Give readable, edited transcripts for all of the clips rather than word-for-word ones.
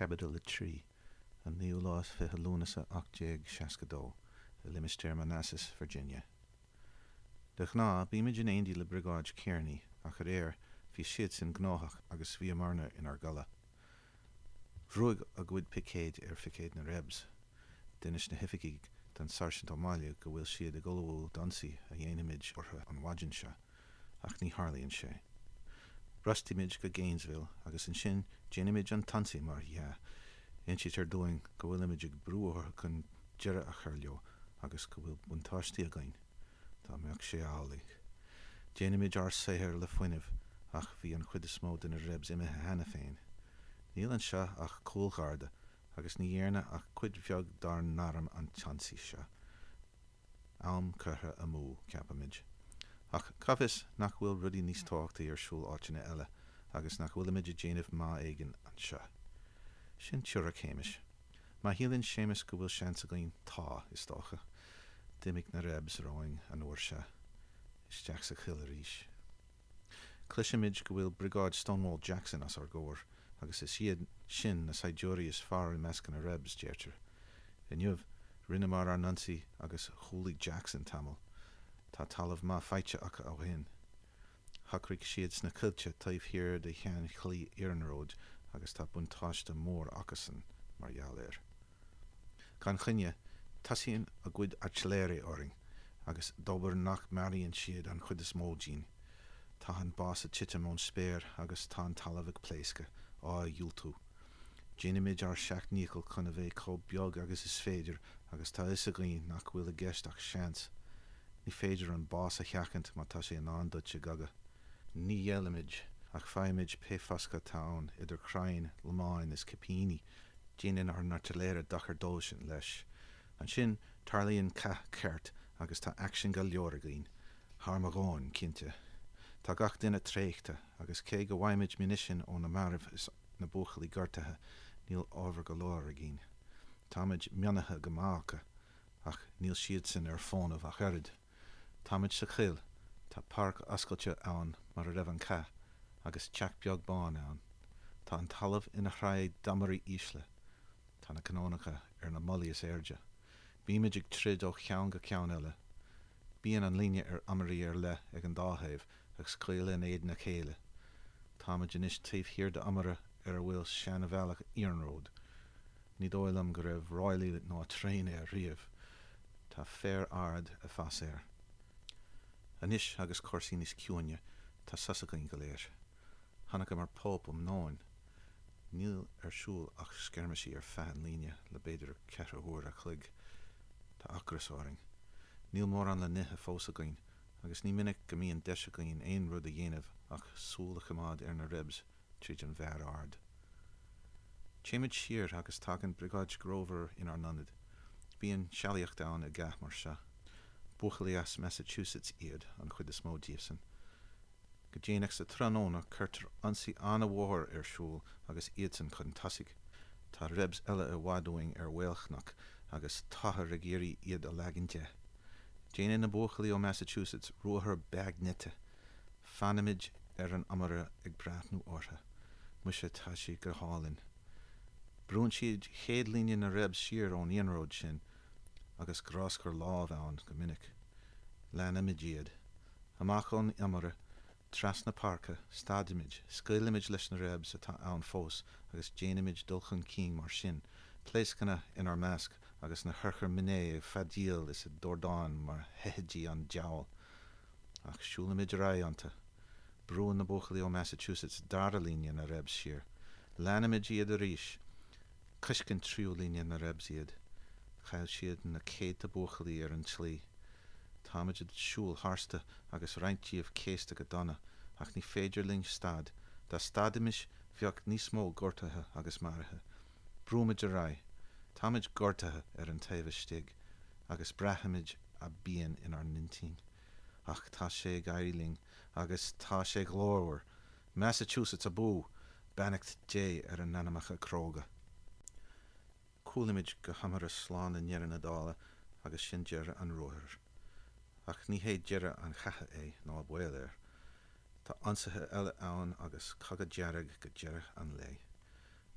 Caibidil 3, An naoú lá is 20 Lúnasa 1862, i limistéar Manassas, Virginia. De ghnáth, bímid in éindí le Briogáid Kearney, ach aréir, bhí siadsan gnóthach agus bhíomarna inár gcodladh. Bhrúigh a gcuid picéid ar phicéid na Rebs. D'inis na hoifigigh don Sáirsint Ó Máille go bhfuil siad ag ullmhú d'ionsaí a dhéanfaimid orthu an mhaidin seo. ach ní tharlaíonn sé. Brostaímid go Gainesville agus ansin déanaimid an t-ionsaí mar dhea. Insítear dúinn go bhfuilimid ag brú orthu chun deireadh a chur leo agus go bhfuil buntáistí againn. Dá mbeadh sé amhlaidh. Déanaimid ár saothar le fuinneamh ach bhí an chuid is mó de na Rebs imithe cheana féin. Níl anseo ach cúlgharda agus ní dhearna ach cuid bheag dár n-arm an t-ionsaí seo. Am curtha amú, ceapaimid. Ach cá bhfios nach bhfuil rudaí níos tábhachtaí ar siúl áiteanna eile agus nach bhfuilimid ag déanamh maith éigin anseo. Sin teoiric Shéamais. Má shíleann Séamas go bhfuil seans againn, tá, is dócha. D'imigh na Rebs romhainn an uair seo. Isteach sa choill arís. Cloisimid go bhfuil Briogáid Stonewall Jackson os ár gcomhair, agus is iad sin na saighdiúirí is fearr i measc na Rebs, deirtear. Inniu, rinneamar ár n-ionsaí agus chúlaigh Jackson tamall. Tá talamh maith faighte acu ó shin. Shocraigh siad sna coillte taobh thiar de shean-chlaí iarnróid agus tá buntáiste mór acusan mar gheall air. Gan choinne, tosaíonn a gcuid airtléire orainn, agus dóbair nach maraíonn siad an chuid is mó dínn. Tá an bás ag titim ón spéir agus tá an talamh ag pléascadh, á dhiúltú. Déanaimid ár seacht ndícheall chun a bheith chomh beag agus is féidir agus tá fhios againn nach bhfuil i gceist ach seans. Ní féidir an bás a sheachaint má tá sé i ndán duit i gcogadh. Ní ghéillimid, ach faighimid pé foscadh atá ann, idir chrainn, lomáin is cipíní. Déanann ár n-airtléire dochar dóibhsean, leis. Ansin, tarlaíonn cath ceart agus tá aicsean go leor againn. Thar mo dhóthain, cinnte. Tá gach duine traochta, agus cé go bhfaighimid munisin ó na mairbh is na buachaillí gortaithe, níl ábhar go leor againn. Táimid mionnaithe go maith acu, ach níl siadsan ar fónamh ach oiread. Táimid sa choill, tá páirc oscailte ann mar a raibh an cath, agus teach beag bán ann. Tá an talamh ina shraith d'iomairí ísle. Tá na canónacha ar na mullaí is airde. Bímid ag troid ó cheann go ceann eile. Bíonn an líne ar iomairí ar leith ag an dá thaobh, ag scaoileadh in éadan a chéile. Táimid anois taobh thiar d'iomaire ar a bhfuil seanbhealach iarnróid. Ní dóigh liom go raibh ráillí ná traein air riamh. Tá féar ard ag fás air. Anois agus cúrsaí níos ciúine, tá sos againn go léir. Chonaiceamar Pope um nóin. Níl ar siúl ach scirmisí ar feadh an líne le b'fhéidir ceithre huaire a chloig. Tá ocras orainn. Níl mórán le n-ithe fós againn, agus ní minic go mbíonn deis againn aon rud a dhéanamh ach súil a choimeád ar na Rebs tríd an bhféar ard. Téimid siar agus tagann Briogáid Grover inár n-ionad. Bíonn sealaíocht ann i gcath mar seo. Buachaillí as Massachusetts iad an chuid is mó díobhsan. Go déanach sa tráthnóna cuirtear ionsaí an-mhór ar siúl agus iadsan chun tosaigh. Tá Rebs eile i bhfad uainn ar mhaolchnoc agus táthar ag iarraidh iad a leagan de. Déanann na buachaillí ó Massachusetts ruathar beaignite. Fanaimid ar an iomaire ag breathnú orthu. Muise tá sé go hálainn. Brúnn siad chéad líne na Rebs siar ón iarnród sin agus gráscar lámh ann go minic. Leanaimid iad. Amach ón iomaire, trasna páirce, stadaimid, scaoilimid leis na Rebs atá ann fós agus déanaimid dul chun cinn mar sin, pléascanna inár measc agus na hurchair Minié ag feadaíl is ag dordán mar sheithidí an diabhail. Ach siúlaimid ar aghaidh iontu. Brúann na buachaillí ó Massachusetts dara líne na Rebs siar. Leanaimid iad arís. Coisceann tríú líne na Rebs iad. Chaill siad na céadta buachaillí ar an tslí. Táimid ag siúl tharstu agus roinnt díobh céasta go dona, ach ní féidir linn stad. Dá stadfaimis bheadh níos mó gortaithe agus maraithe. Brúimid ar aghaidh. Táimid gortaithe ar an taobh istigh agus braithimid a bpian inár n-intinn. Ach tá sé ag éirí linn agus tá sé glórmhar. Massachusetts abú! Beannacht Dé ar a n-anamacha cróga. Cúlaímid go hiomaire slán i ndeireadh na dála agus sin deireadh an ruathair. Ach ní hé deireadh an chatha é, ná baol air. Tá ionsaithe eile ann agus cogadh dearg go deireadh an lae.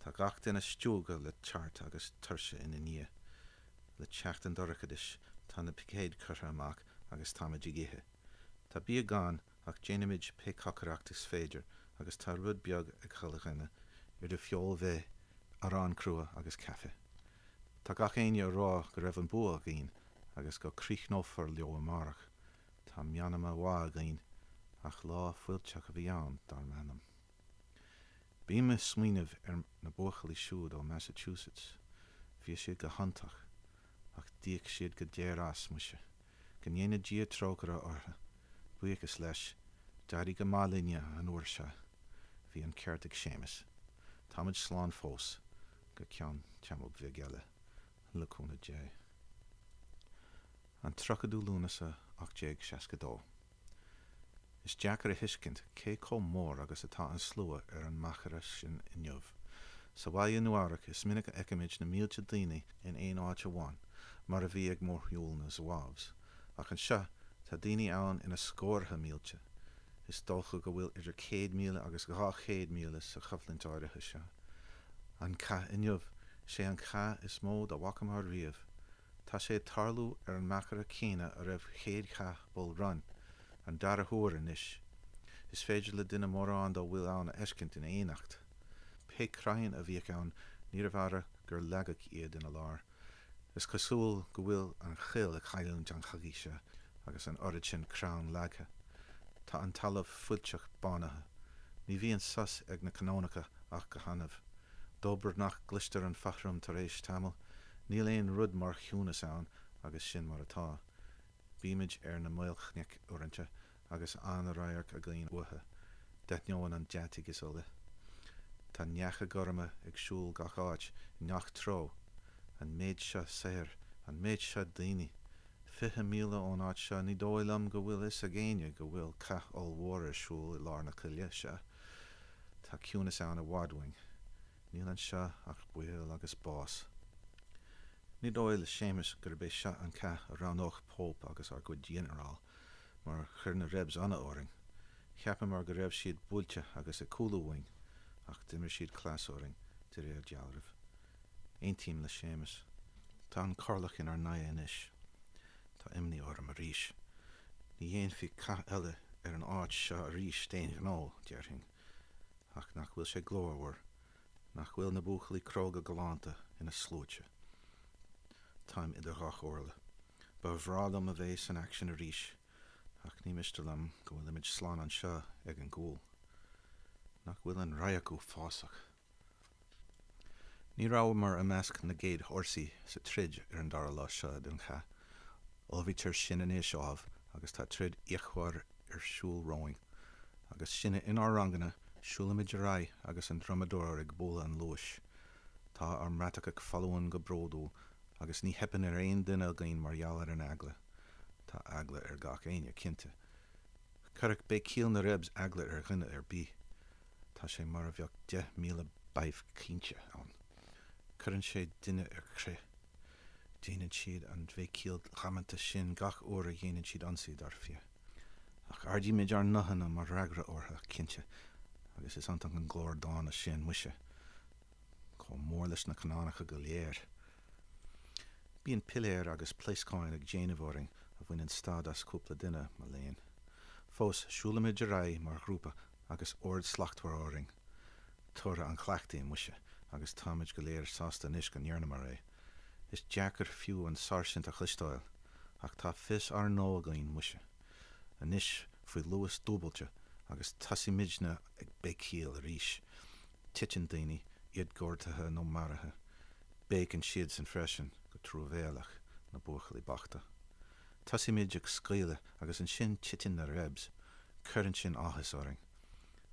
Tá. gach duine stiúgtha le tart agus tuirse ina ndiaidh. Le teacht an dorchadais tá na picéid curtha amach agus táimid ag ithe. Tá bia gann ach déanaimid pé cocaireacht is féidir agus tá rud beag ag chuile dhuine, idir feoil mhéith, arán crua agus caife. Tá gach éinne a rá go raibh an bua againn agus go críochnófar leo amárach. Tá meanma mhaith againn ach lá fuilteach a bhí ann, dar m'anam. Bím ag smaoineamh ar na buachaillí siúd ó Massachusetts. Bhí siad go hiontach. Ach d'íoc siad go daor as, muise. Go ndéana Dia trócaire orthu. Buíochas leis, d'éirigh go maith linne an uair seo. Bhí an ceart ag Séamus. Táimid slán fós, go ceann tamaill bhig eile, le cúnamh Dé. An 30ú Lúnasa 1862. Is deacair a thuiscint cé chomh mór agus atá an slua ar an machaire sin inniu. Sa bhaile i Nua-Eabhrac is minic a fheicimid na mílte daoine in aon áit amháin, mar a bhí ag mórshiúl na Zouaves, ach anseo tá daoine ann ina scórtha mílte. Is dócha go bhfuil idir 100,000 agus 200,000 sa choimhlint áirithe seo. An cath inniu, sé an cath is mó dá bhfacamar riamh. Tá sé ag tarlú ar an machaire céanna a raibh chéad chath Bull Run, an dara huair anois. Is féidir le duine mórán dá bhfuil ann a fheiscint in éineacht. Pé crainn a bhíodh ann níorbh fhada gur leagadh iad ina lár. Is cosúil go bhfuil an choill ag cailliúint an chogaidh seo agus an oiread sin crann leagtha. Tá an talamh fuilteach bánaithe. Ní bhíonn sos ag na canónacha ach go hannamh. Dóbair nach gcloistear an fothram tar éis tamaill. Níl aon rud mar chiúnas ann agus sin mar atá. Bímid ar na maolchnoic uaireanta agus an-radharc againn uathu, d'ainneoin an deataigh is uile. Tá neacha gorma ag siúl gach áit, i ngach treo. An méid seo saothair, an méid seo daoine! 20 míle ón áit seo, ní dóigh liom go bhfuil fhios ag éinne go bhfuil cath ollmhór ar siúl i lár na coille seo. Tá ciúnas ann i bhfad uainn. Níl anseo ach baol agus bás. Ní dóigh le Séamus gurb é seo an cath a roghnódh Pope agus ár gcuid ghinearál, mar chuir na Rebs ionadh orainn. Cheapamar go raibh siad buailte agus ag cúlú uainn, ach d'imir siad cleas orainn, de réir dealraimh. Aontaím le Séamus. Tá an corrlach inár n-aghaidh anois. Tá imní orm arís. Ní dhéanfaí cath eile ar an áit seo arís d'aon ghnó, déarfainn. Ach nach bhfuil sé glórmhar? Nach bhfuil na buachaillí cróga galánta ina sluaite? Táim idir dhá chomhairle. Ba bhreá liom a bheith san aicsean arís, ach ní miste liom go bhfuilimid slán anseo ag an gcúl. Nach bhfuil an radharc uafásach? Ní rabhamar i measc na gcéad fhórsaí sa troid ar an dara lá seo den chath. Ullmhaítear sinn anois, ámh, agus tá troid fhíochmhar ar siúl romhainn. Agus sinne inár ranganna, siúlaimid ar aghaidh agus an drumadóir ag bualadh an luais. Tá ár mbratacha foluain go bródúil agus ní theipeann ar aon duine againn mar gheall ar an eagla. Tá eagla ar gach éinne, cinnte. Chuirfeadh béicíl na Rebs eagla ar dhuine ar bith. Tá sé mar a bheadh 10,000 badhbh caointe ann. Cuireann sé duine ar crith. Déanann siad an bhéicíl dhamanta sin gach uair a dhéanann siad ionsaí, dar fia. Ach ardaímid ár nguthanna mar fhreagra orthu, cinnte, agus is iontach an glór dána sin, muise, chomh mór leis na canónacha go léir. Bíonn piléir agus pléascáin ag déanamh orainn a bhaineann stad as cúpla duine, mo léan. Fós, siúlaimid ar aghaidh mar ghrúpa agus ord slachtmhar orainn. Toradh an chleachtaidh, muise, agus táimid go léir sásta anois go ndearnamar é. Is deacair fiú an sáirsint a chloisteáil, ach tá fios ár ngnó againn, muise. Anois faoi luas dúbailte agus tosaímidne ag béicíl arís. Titeann daoine, iad gortaithe nó maraithe. Béiceann siadsan freisin, go truamhéalach, na buachaillí bochta. Tosaímid ag scaoileadh agus ansin titeann na Rebs. Cuireann sin áthas orainn.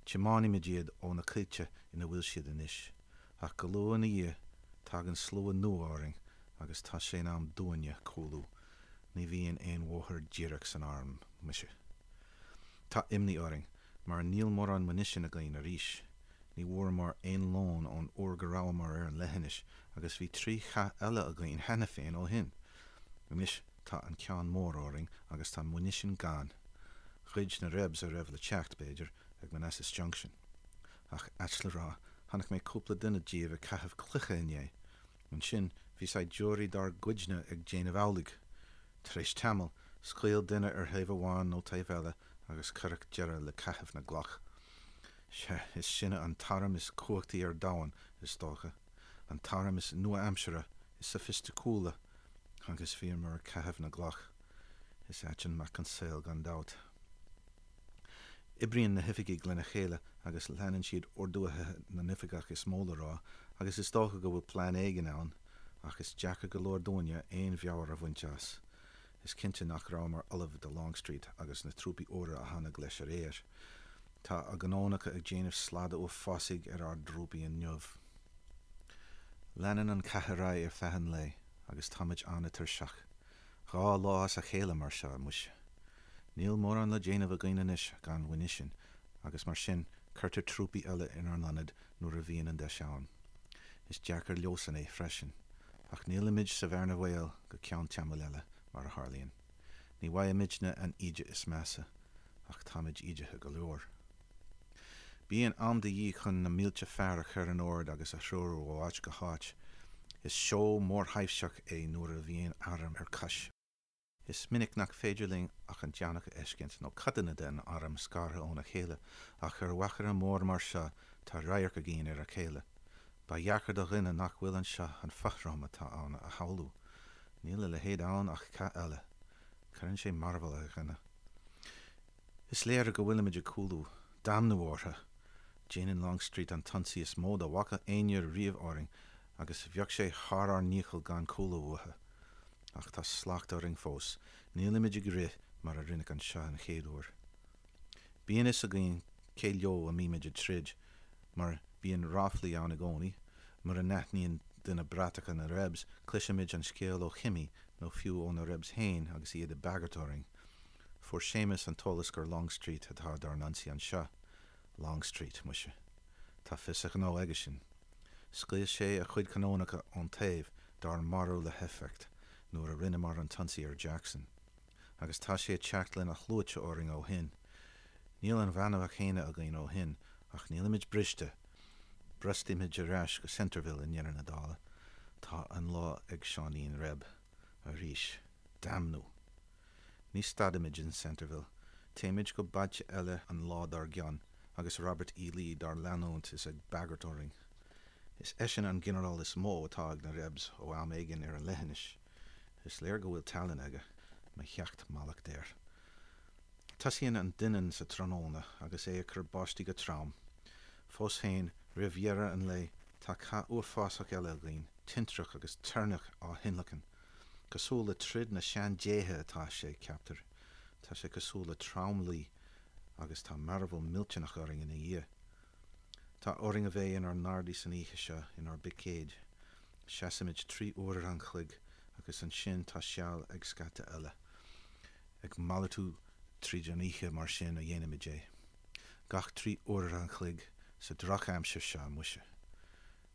Tiomáinimid iad ó na coillte ina bhfuil siad anois. Ach go luath ina dhiaidh, tagann slua nua orainn agus tá sé in am dúinne cúlú. Ní bhíonn aon bhóthar díreach san arm, muise. Tá imní orainn, mar níl mórán muinisin againn arís. Ní bhfuaireamar aon lón ón uair go rabhamar ar an leithinis agus bhí trí chath eile againn cheana féin ó shin. Anois tá an ceann mór orainn agus tá muinisin gann. Ghoid na Rebs a raibh le teacht, b'fhéidir, ag Manassas Junction. Ach ait le rá, Chonaic mé cúpla duine díobh ag caitheamh cloiche inné. Ansin, bhí saighdiúirí dár gcuidne ag déanamh amhlaidh. Tar éis tamaill, scaoil duine ar thaobh amháin nó taobh eile agus cuireadh deireadh le caitheamh na gcloch. Sea, is sinne an t-arm is cumhachtaí ar domhan, is dócha. An t-arm is nua-aimseartha, is sofaisticiúla, agus bhíomar ag caitheamh na gcloch. Is ait an mac an saol, gan dabht. Oibríonn na hoifigigh lena chéile agus leanann siad orduithe na n-oifigeach is mó le rá agus is dócha go bhfuil plean éigin ann ach is deacair go leor dúinne aon mheabhair a bhaint as. Is cinnte nach rabhamar ullamh do Longstreet agus na trúpaí úra a tháinig leis aréir. Tá a gcanónacha ag déanamh slada uafásaigh ar ár dtrúpaí inniu. Leanann an cath ar aghaidh ar feadh an lae agus táimid an-tuirseach. 2 lá as a chéile mar seo, muise. Níl mórán le déanamh againn anois gan mhuinisean agus mar sin cuirtear trúpaí eile inár n-ionad nuair a bhíonn an deis ann. Is deacair leosan é freisin. Ach nílimid sa bhearna bhaoil go ceann tamaill eile, mar a tharlaíonn. Ní bhfaighimidne an íde is measa, ach táimid ídithe go leor. Bíonn am de dhíth chun na mílte fear a chur in ord agus a threorú ó áit go háit. Is seó mórthaibhseach é nuair a bhíonn arm ar cois. Is minic nach féidir linn ach an deannach a fheiscint, nó codanna den arm scartha óna chéile, ach ar mhachaire mór mar seo tá radharc againn ar a chéile. Ba dheacair do dhuine nach bhfuil anseo an fothrom atá ann a shamhlú. Níl a leithéid ann ach cath eile. Cuireann sé mearbhall ar dhuine. Is léir go bhfuilimid ag cúlú. Damnú orthu! Déanann Longstreet an t-ionsaí is mó dá bhfaca éinne riamh orainn agus bheadh sé thar ár ndícheall gan cúlú uathu. Ach tá slacht orainn fós. Nílimid ag rith mar a rinneadh anseo an chéad uair. Bíonn fhios againn cé leo a mbímid ag troid, mar bíonn ráflaí ann i gcónaí. Mura n-aithníonn duine bratacha na Rebs, cloisimid an scéal ó chimí nó fiú ó na Rebs féin agus iad ag bagairt orainn. Fuair Séamus an t-eolas gur Longstreet atá dár n-ionsaí anseo. Longstreet, muise. Tá fios a ghnó aigesean. Scaoil sé a chuid canónacha ón taobh dár marú le héifeacht nuair a rinneamar an t-ionsaí ar Jackson. Agus tá sé ag teacht lena shluaite orainn ó shin. Níl an bhanbha chéanna againn ó shin, ach nílimid briste. Brostaímid ar ais go Centreville i ndeireadh na dála. Tá an lá ag Seáinín Reb. Arís. Damnú! Ní stadaimid in Centreville. Téimid go bailte eile an lá dár gcionn, agus Robert E. Lee dár leanúint is ag bagairt orainn. Is eisean an ginearál is mó atá ag na Rebs ó am éigin ar an leithinis. Is léir go bhfuil tallann aige, mo sheacht mallacht air. Tosaíonn an doineann sa tráthnóna agus é ag cur báistí go trom. Fós féin, roimh dheireadh an lae, tá cath uafásach eile againn, tintreach agus toirneach á thionlacan. Cosúil le troid na sean-déithe atá sé, ceaptar. Tá sé cosúil le tromluí agus tá mearbhall millteanach orainn ina dhiaidh. Tá orainn a bheith inár ngardaí san oíche seo, inár bpicéid. Seasaimid 3 uaire an chloig agus ansin tá seal ag scata eile. Ag malartú tríd an oíche mar sin a dhéanaimid é. Gach 3 uaire an chloig sa drochaimsir seo, muise.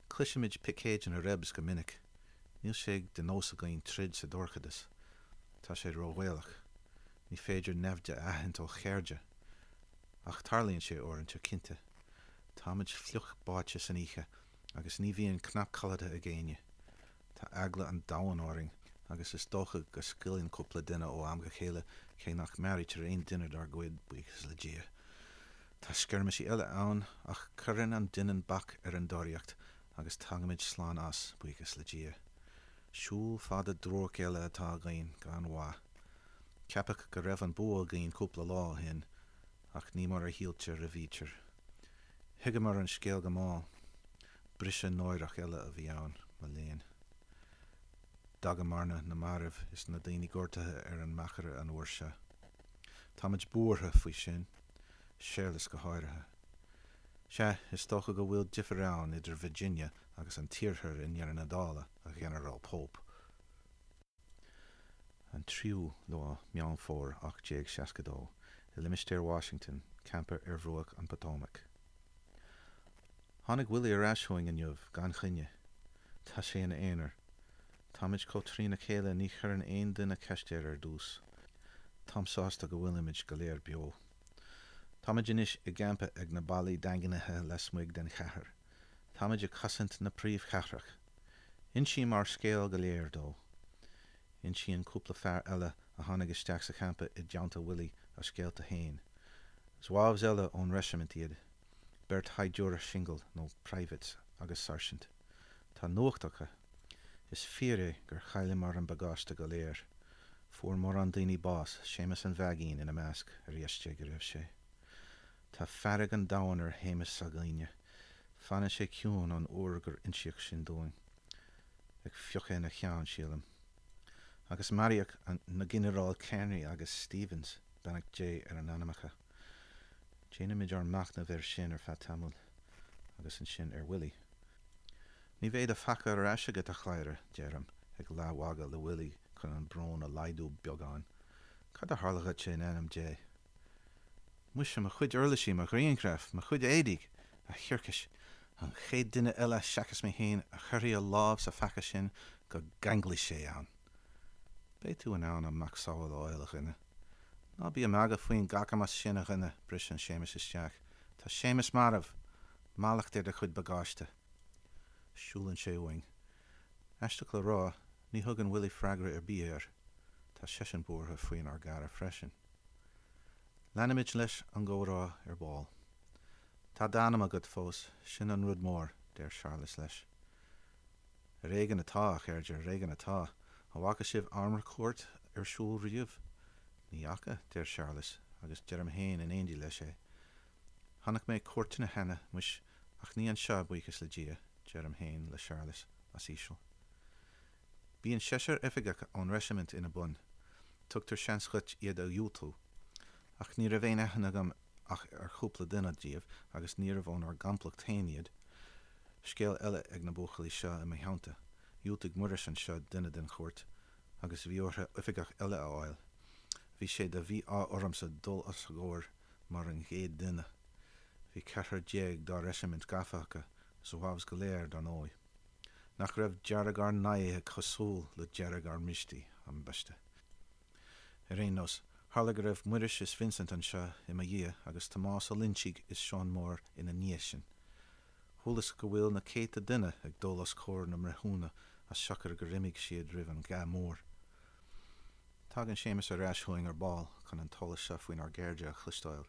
Cloisimid picéid na Rebs go minic. Níl sé de nós againn troid sa dorchadas. Tá sé róbhaolach. Ní féidir naimhde a aithint ó chairde. Ach tarlaíonn sé uaireanta, cinnte. Táimid fliuch báite san oíche agus ní bhíonn cnap codlata ag éinne. Tá eagla an domhain orainn agus is dócha go scaoileann cúpla duine ó am go chéile cé nach maraítear aon duine dár gcuid, buíochas le Dia. Tá scirmisí eile ann ach cuireann an doineann bac ar an dtóraíocht agus tagaimid slán as, buíochas le Dia. Siúl fada duairc eile atá againn, gan mhaith. Ceapadh go raibh an bua againn cúpla lá ó shin, ach ní mar a shíltear a bhítear. Thuigeamar an scéal go mall. Briseadh náireach eile a bhí ann, mo léan. D'fhágamarna na mairbh is na daoine gortaithe ar an machaire an uair seo. Táimid buartha faoi sin. Séarlas go háirithe. Sea, is dócha go bhfuil difear ann idir Virginia agus an tIarthar i ndeireadh na dála, a Ghinearáil Pope. An 3ú lá Meán Fómhair 1862, i limistéar Washington, campa ar bhruach an Potomac. Tháinig Willie ar ais chugainn inniu, gan choinne. Tá sé ina aonar. Táimid chomh trína chéile ní chuireann aon duine ceist air ar dtús. Táim sásta go bhfuilimid go léir beo. Táimid anois i gcampa ag na ballaí daingnithe lasmuigh den chathair. Táimid ag cosaint na príomhchathrach. Insím ár scéal go léir dó. Insíonn cúpla fear eile a tháinig isteach sa champa i dteannta Willie a scéalta féin. Zouaves eile ón reisimint iad, beirt shaighdiúir singil, nó privates, agus sáirsint. Tá nuacht acu. Is fíor é gur chailleamar an bagáiste go léir. Fuair mórán daoine bás, Séamus an Mheaigín ina measc, ar dheis Dé go raibh sé. Tá fearg an domhain ar Shéamus s'againne. Fanann sé ciúin ón uair gur insíodh sin dúinn. Ag fiuchadh ina cheann, sílim. Agus maraíodh na Ginearáil Kearney agus Stevens, beannacht Dé ar a n-anamacha. Déanaimid ár machnamh air sin ar feadh tamaill, agus ansin ar Willie. Ní bheidh do phaca ar ais agat, a chladhaire, deirim, ag leathmhagadh le Willie chun an brón a laghdú beagán. Cad a tharla dhuit in ainm Dé? Muise, mo chuid uirlisí, mo ghrianghraif, mo chuid éadaigh! A thiarcais! An chéad duine eile seachas mé féin a chuirfidh a lámh sa phaca sin go gceanglfaidh sé ann! Beidh tú in ann an macasamhail a fháil, a dhuine. Ná bí ag magadh faoin gcacamas sin, a dhuine, briseann Séamus isteach. Tá Séamus marbh! Mallacht ar do chuid bagáiste! Siúlann sé uainn. Aisteach le rá, ní thugann Willie freagra ar bith air. Tá seisean buartha faoinár gcara freisin. Leanaimid leis an gcomhrá ar ball. Tá d'anam agat fós, sin an rud mór, deir Séarlas leis. Ar éigean atá, a chairde, ar éigean atá. An bhfaca sibh armúrchuairt ar siúl riamh? Ní fhaca, deir Séarlas, agus deirim féin in éindí leis é. Chonaic mé cúirteanna cheana, muis, ach ní anseo, buíochas le Dia, deirim féin le Séarlas, os íseal. Bíonn seisear oifigeach ón reisimint ina bun. Tugtar seans dhuit iad a dhiúltú. Ach ní raibh aon aithne agam ach ar chúpla duine díobh agus níorbh ónár gcomplacht féin iad. Scéal eile ag na buachaillí seo i mo theannta. Dhiúltaigh Muiris anseo duine den chúirt agus bhí orthu oifigeach eile a fháil. Bhí sé de mhí-ádh ormsa dul os a gcomhair mar an gcéad duine. Bhí ceathrar dá reisimint gafa acu, Zouaves go léir, dar ndóigh. Nach raibh dearg ár n-aghaidhe cosúil le dearg ár mbristí, ambaiste. Ar aon nós, tharla go raibh Muiris is Vincent anseo i mo dhiaidh agus Tomás Ó Loinsigh is Seán Mór ina ndiaidh sin. Chualas go bhfuil na céadta duine ag dul os comhair na mbreithiúna as siocair gur imigh siad roimh an gcath mór. Tagann Séamus ar ais chugainn ar ball chun an t-eolas seo faoinár gcairde a chloisteáil.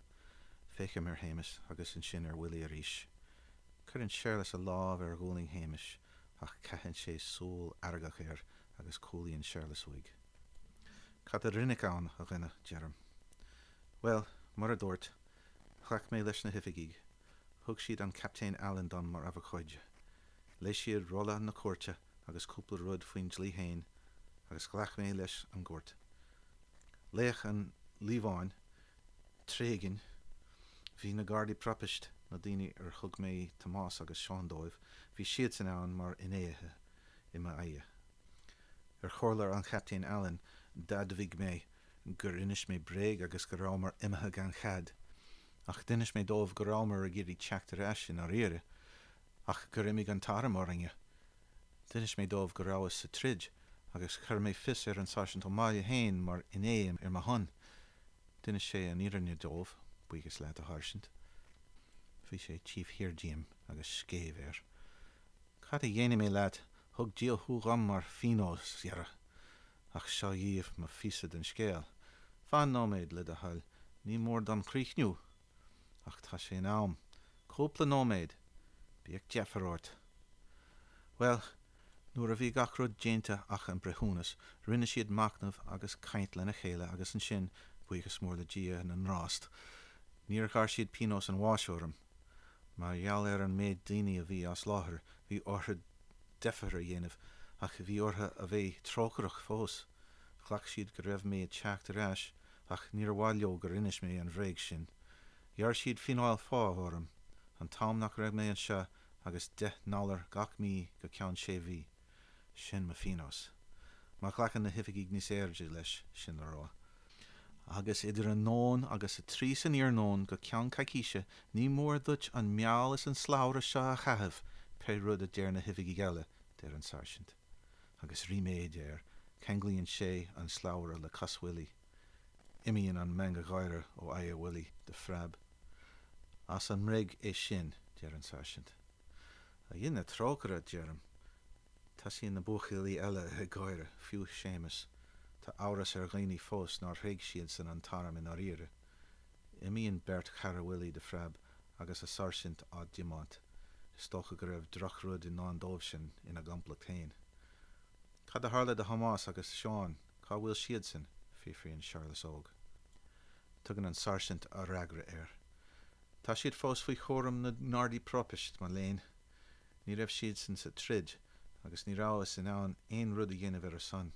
Féachaim ar Shéamus agus ansin ar Willie arís. Cuireann Séarlas a lámh ar ghualainn Shéamais ach caitheann sé súil fheargach air agus cúlaíonn Séarlas uaidh. Cad a rinneadh ann, a dhuine? deirim. Bhuel, mar a dúrt, ghlac mé leis na hoifigigh. Thug siad an Captaen Allen dom mar abhcóide. Léigh siad rolla na cúirte agus cúpla rud faoin dlí féin agus ghlac mé leis an gcúirt. Léadh an líomhain, tréigean. Bhí na Gardaí Propaist, na daoine ar thug mé Tomás agus Seán dóibh, bhí siadsan ann mar fhinnéithe i m'aghaidh. Ar chomhairle an Chaptaein Allen, d'admhaigh mé gur inis mé bréag agus go rabhamar imithe gan chead. Ach d'inis mé dóibh go rabhamar ag iarraidh teacht ar ais i ndáiríre, ach gur imigh an t-arm orainne. D'inis mé dóibh go rabhas sa troid agus chuir mé fios ar an Sáirsint Ó Máille féin mar fhinné ar mo shon. D'inis sé an fhírinne dóibh, buíochas leat, a Sháirsint. Bhí sé taobh thiar díom agus scéimh air. Cad a dhéanfaidh mé leat, thug Dia thú dhom mar phionós, dhera. Ach seo dhaoibh mo phíosa den scéal. Fan nóiméad, le do thoil, ní mór dom críochnú! Ach tá sé in am. Cúpla nóiméad! Bíodh deifir ort. Bhuel, nuair a bhí gach rud déanta ach an breithiúnas, rinne siad machnamh agus caint lena chéile agus ansin, buíochas mór le Dia na nGrást, níor ghearr siad pionós an bháis orm. Mar gheall ar an méid daoine a bhí as láthair, bhí orthu deifir a dhéanamh, ach bhí orthu a bheith trócaireach fós. Ghlac siad go raibh mé ag teacht ar ais, ach níor mhaith leo gur inis mé an bhréag sin. Ghearr siad fíneáil phá orm, an t-am nach raibh mé anseo agus 10 ndollar gach mí go ceann sé mhí. Sin mo phionós. Má ghlacann na hoifigigh níos airde leis, sin le rá. Agus idir a nóin agus a trí san iarnóin go ceann coicíse ní mór duit an meall is an slabhra seo a chaitheamh, pé rud a deir na hoifigigh eile, deir an sáirsint. Agus ríméad air, ceanglaíonn sé an slabhra le cos Willie. Imíonn an meangadh gáire ó aghaidh Willie de phreab. As an mbréag é sin, deir an sáirsint. A Dhia na trócaire, deirim. Tosaíonn na buachaillí eile ag gáire, fiú Séamus. Tá amhras ar dhaoine fós nár thréig siadsan an t-arm i ndáiríre. Imíonn beirt chara Willie de phreab agus a sáirsint á dtiomáint. Is dócha go raibh drochrud i ndán dóibhsean ina gcomplacht féin. Cad a tharla do Thomás agus Seán, cá bhfuil siadsan? fiafraíonn Séarlas Óg. Tugann an sáirsint a fhreagra air. Tá siad fós faoi chúram na nGardaí Propast, mo léan. Ní raibh siadsan sa troid agus ní rabhthas in ann aon rud a dhéanamh ar a son.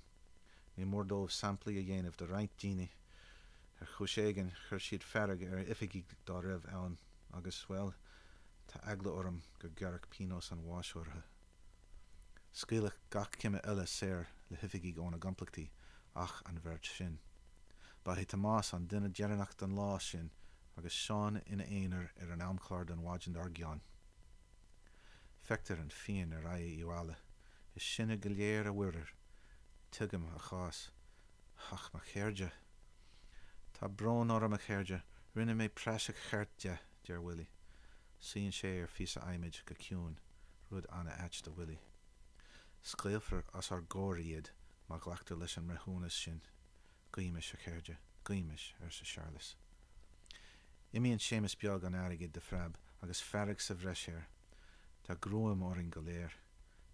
Ní mór dóibh samplaí a dhéanamh de roinnt daoine. Ar chúis éigin, chuir siad fearg ar oifigigh dá raibh ann agus, bhuel, tá eagla orm gur gearradh pionós an bháis orthu. Scaoileadh gach cime eile saor le hoifigigh óna gcomplachtaí ach an bheirt sin. Ba é Tomás an duine deireanach don lá sin agus Seán ina aonar ar an amchlár don mhaidin dár gcionn. Feictear an phian ar aghaidh Uí Mháille. Is sinne go léir a mhuirear. Tuigim a chás. Ach mo chairde! Tá brón orm, a chairde, rinne mé praiseach cheart de, deir Willie. Suíonn sé ar phíosa adhmaid go ciúin, rud an-ait do Willie. Scaoilfear os ár gcomhair iad má ghlactar leis an mbreithiúnas sin. Guímis, a chairde, guímis, arsa Séarlas. Imíonn Séamus Beag an Airgid de phreab agus fearg sa bhreis air. Tá gruaim orainn go léir.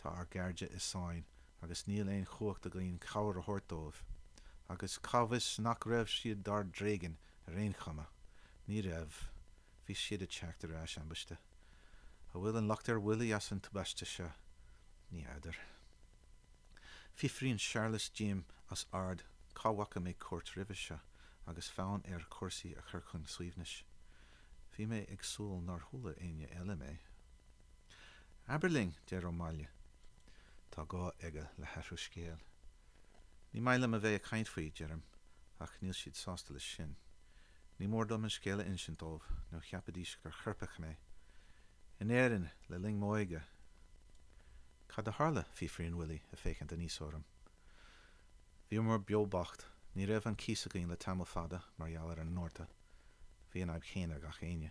Tá ár gcairde i sáinn agus níl aon chumhacht againn cabhair a thabhairt dóibh. Agus cá bhfios nach raibh siad dár dtréigean ar aon chuma? Ní raibh. Bhí siad ag teacht ar ais ambaiste. An bhfuil an locht ar Willie as an tubaiste seo? Ní fheadar. Fiafraíonn Séarlas díom os ard cá bhfaca mé cúirt roimhe seo agus fonn air cúrsaí a chur chun suaimhnis. Bhí mé ag súil nár chuala éinne eile mé. Abair linn, deir Ó Máille. Tá gá aige le hathrú scéil. Ní maith liom a bheith ag caint faoi, deirim, ach níl siad sásta leis sin. Ní mór dom an scéal a insint dóibh, nó cheapfaidís gur choirpeach mé. In Éirinn, le linn m'óige. Cad a tharla? fiafraíonn Willie, ag féachaint aníos orm. Bhíomar beo bocht. Ní raibh an cíos againn le tamall fada, mar gheall ar an ngorta. Bhí an fhadhb chéanna ag gach éinne.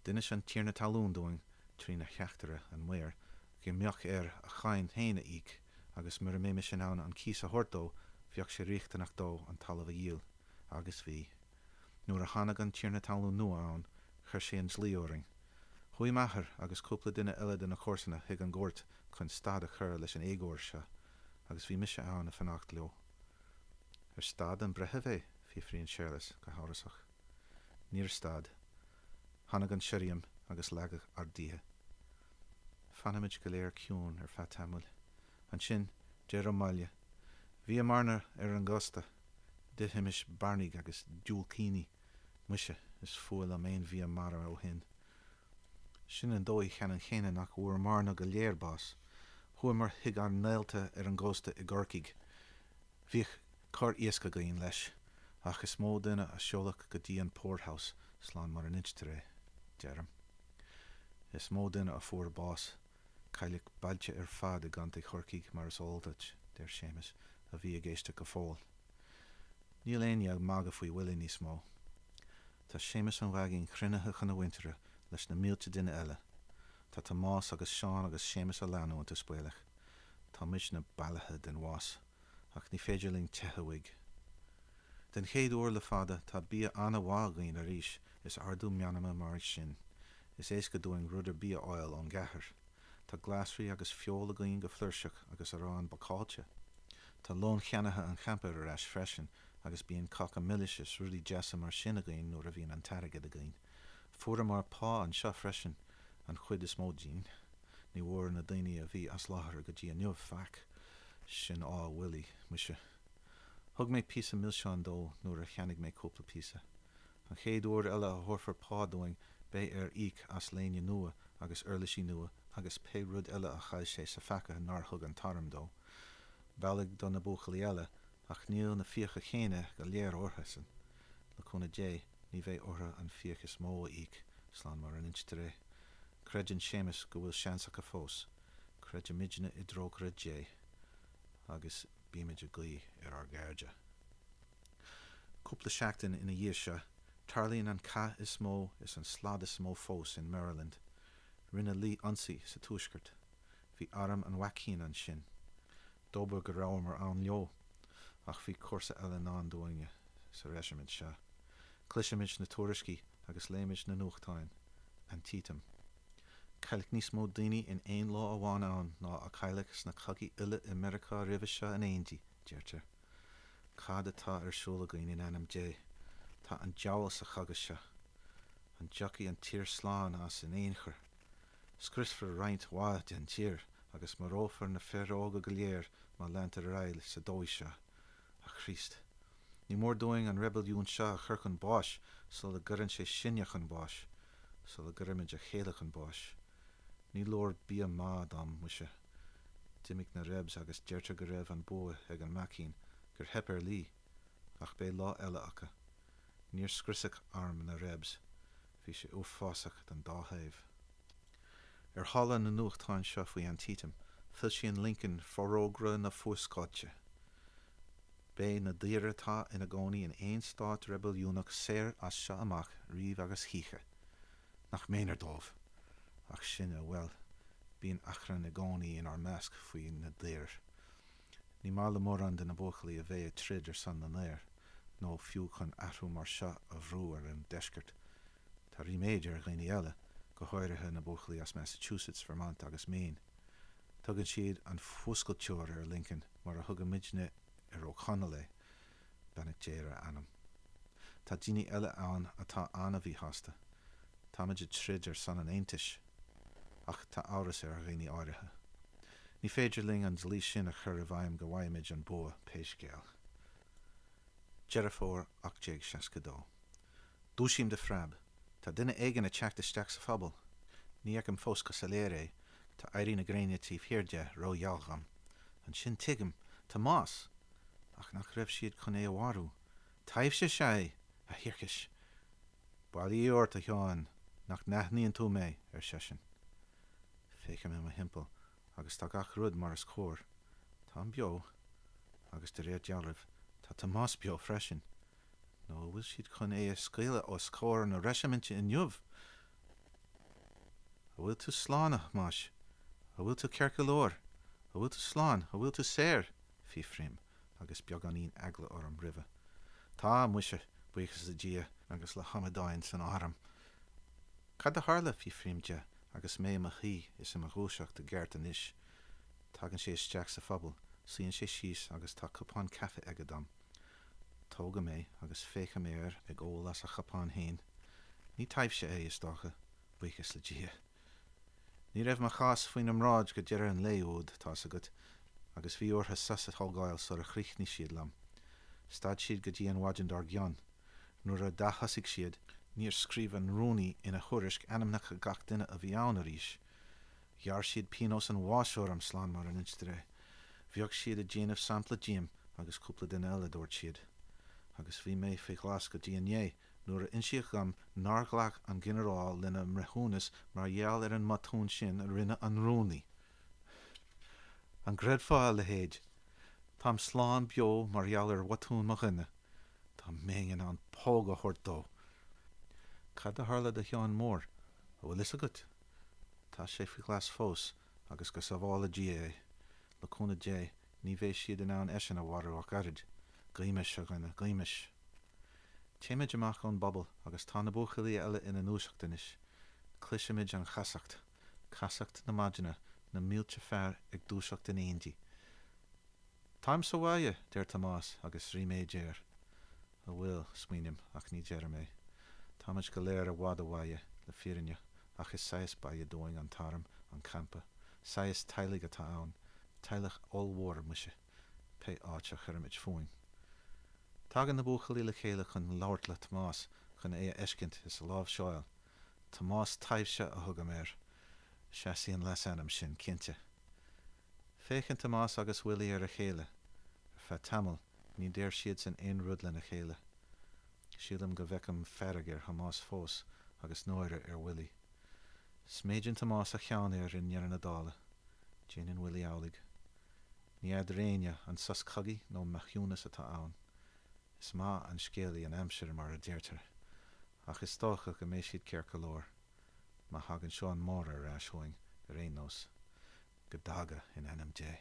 D'inis an tiarna talún dúinn, trína theachtaire, an maor, go mbeadh air a cháin féin a íoc agus mura mbeimis in ann an cíos a thabhairt dó, bheadh sé riachtanach dó an talamh a dhíol. Agus bhí. Nuair a tháinig an tiarna talún nua ann, chuir sé an dlí orainn. Chuaigh m'athair agus cúpla duine eile de na comharsana chuig an gcúirt chun stad a chur leis an éagóir seo, agus bhí mise ann ag fanacht leo. Ar stad an breitheamh é? fiafraíonn Séarlas go hamhrasach. Níor stad. Tháinig an sirriam agus leagadh ár dtithe. Fanaimid go léir ciúin ar feadh tamaill. Ansin, deir Ó Máille, Bhíomarna ar an gcósta. D'ithimis bairnigh agus diúilicíní. Muise, is fuath liom aon bhia mara ó shin. Sin an dóigh cheannann chéanna nach bhfuaireamarna go léir bás. Chuamar chuig ár ngaolta ar an gcósta i gCorcaigh. Bhíodh corr-iasc againn, leis, ach is mó duine a seoladh go dtí an poorhouse slán mar a n-instear é, deirim. Is mó duine a fuair bás. Cailleadh bailte ar fad i gContae Chorcaí, mar is eol duit, deir Séamus, a bhí ag éisteacht go fóill. Níl éinne ag magadh faoi Willie níos mó. Tá Séamus an Ghaigín cruinnithe chun a mhuintire leis na mílte duine eile. Tá Tomás agus Seán agus Séamus á leanúint, is baolach. Tá muidne bealaithe den bhás, ach ní féidir linn teitheadh uaidh. Den chéad uair le fada, tá bia an-mhaith againn arís, is ardú meanma mar sin. Is éasca dúinn rud ar bith a fháil ón gcathair. Tá glasraí agus feoil againn go flúirseach agus arán bácáilte. Tá lón cheannaithe an champa ar ais freisin agus bíonn cáca milis is rudaí deasa mar sin againn nuair a bhíonn an t-airgead againn. Fuaireamar pá anseo freisin, an chuid is mó dínn. Ní bhfuair na daoine a bhí as láthair go dtí inniu faic. Sin ádh Willie, muise. Thug mé píosa milseáin dó nuair a cheannaigh mé cúpla píosa. An chéad uair eile a thabharfar pá dúinn beidh air íoc as léine nua agus uirlisí nua agus pé rud eile a chaill sé sa pheaca nár thug an t-arm dó. B'amhlaidh do na buachaillí eile, ach níl na fiacha céanna go léir orthusan. Le cúnamh Dé, ní bheidh orthu an fiach is mó a íoc, slán mar a n-instear é. Creideann Séamus go bhfuil seans acu fós. Creidimidne i dtrócaire Dé agus bímid ag guí ar ár gcairde. Cúpla seachtain ina dhiaidh seo, tarlaíonn an cath is mó is an slad is mó fós in Maryland. Rinne Lee ionsaí sa tuaisceart. Bhí arm an mhaicín ansin. Dóbair go rabhamar ann leo. Ach bhí cúrsa eile i ndán dúinne sa reisimint seo. Cloisimid na tuairiscí agus léimid na nuachtáin. Antietam. Cailleadh níos mó daoine in aon lá amháin ann ná a cailleadh sna cogaí uile i Meiriceá roimhe seo in éindí, deirtear. Cad atá ar siúl againn in ainm Dé? Tá an diabhal sa chogadh seo. An dtiocfaidh an tír slán as in aon chor? Scriosfar roinnt mhaith den tír agus marófar na fir óga go léir má leantar ar aghaidh sa dóigh seo. A Chríost! Ní mór dúinn an reibiliún seo a chur chun báis sula gcuireann sé sinne chun báis, sula gcuirimid a chéile chun báis. Ní leor bia maith dom, muise. D'imigh na Rebs agus deirtear go raibh an bua ag an maicín, gur theip ar Lee. Ach beidh lá eile acu. Níor scriosadh arm na Rebs. Bhí sé uafásach don dá thaobh. Ar shála na nuachtán seo faoi Antietam, foilsíonn Lincoln Forógra na Fuascailte. Beidh na daoir atá ina gcónaí in aon stát reibiliúnach saor as seo amach, riamh agus choíche. Nach méanar dóibh! Ach sinne, bhuel, bíonn achrann i gcónaí inár measc faoi na daoir. Ní maith le mórán de na buachaillí a bheith ag troid ar son na ndaor, nó fiú chun athrú mar seo a bhrú ar an deisceart. Tá ríméad ar dhaoine eile, go háirithe na buachaillí as Massachusetts, Vermont agus Maine. Tugann siad an Fuascailteoir ar Lincoln mar a thugaimidne ar Ó Conaill é, beannacht Dé ar a anam. Tá daoine eile ann atá an-mhíshásta. Táimid ag troid ar son an Aontais. Ach tá amhras ar dhaoine áirithe. Ní féidir linn an dlí sin a chur i bhfeidhm go bhfaighimid an bua, pé scéal. Deireadh Fómhair 1862. Dúisím de phreab. Tá duine éigin ag teacht isteach sa phuball. Ní fheicim fós go soiléir é, tá éirí na gréine taobh thiar de ró-gheal dhom. Ansin tuigim, Tomás! Ach nach raibh siad chun é a mharú? Taibhse is ea é! A thiarcais! Bail ó Dhia ort, a Sheáin, nach n-aithníonn tú mé? ar seisean. Féachaim i mo thimpeall agus tá gach rud mar is cóir. Táim beo, agus de réir dealraimh, tá Tomás beo freisin. Nó an bhfuil siad chun é a scaoileadh os comhair na reisiminte inniu? An bhfuil tú slán, a Thomáis? An bhfuil tú ceart go leor? An bhfuil tú slán? An bhfuil tú saor? fiafraím, agus beagáinín eagla orm roimhe. Tá, muise, buíochas le Dia agus le hamadáin san arm. Cad a tharla? fiafraím de agus mé i mo shuí is i mo dhúiseacht i gceart anois. Tagann sé isteach sa phuball, suíonn sé síos agus tá cupán caife aige dom. Tógaim é agus féachaim air ag ól as a chupán féin. Ní taibhse é, is dócha, buíochas le Dia. Ní raibh mo chás faoina mbráid go deireadh an lae úd, tá's agat, agus bhí orthu sos a thógáil sara chríochnaigh siad liom. Stad siad go dtí an mhaidin dár gcionn. Nuair a d'athosaigh siad, níor scríobh an rúnaí ina thuairisc ainmneacha gach duine a bhí ann arís. Ghearr siad pionós an bháis orm, slán mar a n-instear é. Bheadh siad ag déanamh sampla díom agus cúpla duine eile, dúirt siad. Agus bhí mé faoi ghlas go dtí inné nuair a insíodh dhom nár ghlac an ginearál lena mbreithiúnas mar gheall ar an mbotún sin a rinne an rúnaí. An gcreidfeá a leithéid? Táim slán beo mar gheall ar bhotún mo dhuine. Dá mbeinn in ann póg a thabhairt dó! Cad a tharla do Sheán Mór, an bhfuil fhios agat? Tá sé faoi ghlas fós agus go sábhála Dia é. Le cúnamh Dé, ní bheidh siad in ann eisean a mharú ach oiread. Guímis, a dhuine, guímis. Téimid amach ón bpuball agus tá na buachaillí eile ina ndúiseacht anois. Cloisimid an chasacht. Casacht na maidine, na mílte fear ag dúiseacht in éindí. Táim sa bhaile, deir Tomás agus ríméad air. An bhfuil, smaoiním, ach ní deirim é. Táimid go léir i bhfad ó bhaile, le fírinne, ach is saghas baile dúinn an t-arm, an campa. Saghas teaghlaigh atá ann. Teaghlach ollmhór, muise, pé áit a chuirimid fúinn. Tagann na buachaillí le chéile chun labhairt le Tomás, chun é a fheiscint is a láimhseáil. Tomás Taibhse a thugaim air. Seasfaidh an leasainm sin, cinnte. Féachann Tomás agus Willie ar a chéile. Ar feadh tamaill, ní deir siadsan aon rud lena chéile. Sílim go bhfeicim fearg ar Thomás fós agus náire ar Willie. Sméideann Tomás a cheann air i ndeireadh na dála. Déanann Willie amhlaidh. Ní fheadar éinne an sos cogaidh nó maithiúnas atá ann. Is maith an scéalaí an aimsir, mar a deirtear. Ach is dócha go mbeidh siad ceart go leor. Má thagann Seán Máire ar ais chugainn, ar aon nós. Go dtaga, in ainm Dé.